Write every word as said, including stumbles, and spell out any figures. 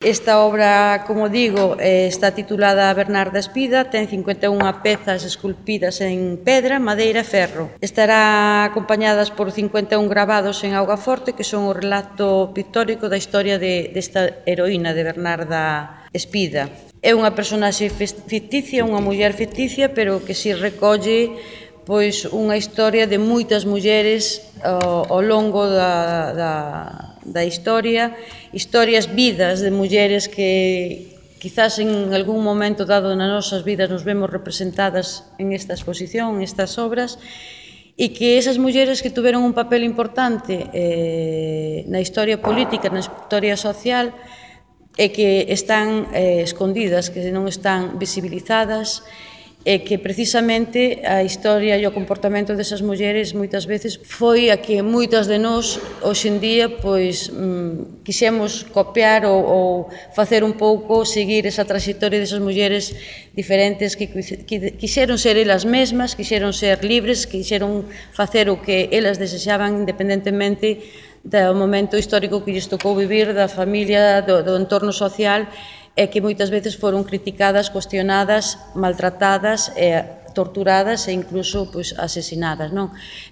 Esta obra, como digo, está titulada Bernarda Espida, ten cincuenta e unha pezas esculpidas en pedra, madeira e ferro. Estará acompañadas por cincuenta e un gravados en augaforte, que son o relato pictórico da historia de, desta heroína de Bernarda Espida. É unha personaxe ficticia, unha muller ficticia, pero que si recolle pois unha historia de moitas mulleres ao, ao longo da, da, da historia, historias, vidas de mulleres que quizás en algún momento dado nas nosas vidas nos vemos representadas en esta exposición, en estas obras, e que esas mulleres que tuveron un papel importante eh, na historia política, na historia social, e que están eh, escondidas, que non están visibilizadas, e que precisamente a historia e o comportamento desas mulleres moitas veces foi a que moitas de nós hoxe en día pois mm, quixemos copiar ou, ou facer un pouco, seguir esa trayectoria desas mulleres diferentes que, que quixeron ser elas mesmas, quixeron ser libres, quixeron facer o que elas desexaban independentemente do momento histórico que lles tocou vivir, da familia, do, do entorno social, e que moitas veces foron criticadas, cuestionadas, maltratadas, e torturadas e incluso pois, asesinadas, non?